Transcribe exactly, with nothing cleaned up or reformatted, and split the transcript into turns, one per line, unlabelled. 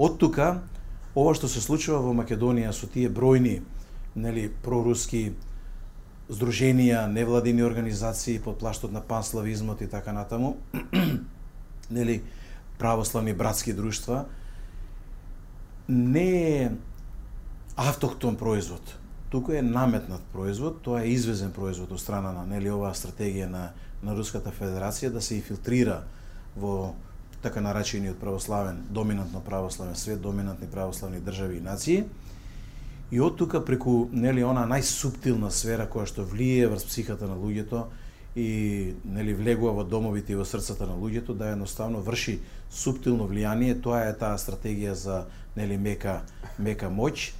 од тука ова што се случува во Македонија со тие бројни, нели, проруски здруженија, невладини организации под плаштот на панславизмот и така натаму, нели, православни братски друштва, не е автохтон производ, туку е наметнат производ, тоа е извезен производ од страна на, нели, оваа стратегија на, на Руската Федерација да се инфилтрира во така наречениот православен, доминантно православен свет, доминантни православни држави и нации. И од тука преку, нели, она најсуптилна сфера која што влие врз психата на луѓето и, нели, влегува во домовите и во срцата на луѓето, да едноставно врши суптилно влијание, тоа е таа стратегија за, нели, мека мека моќ,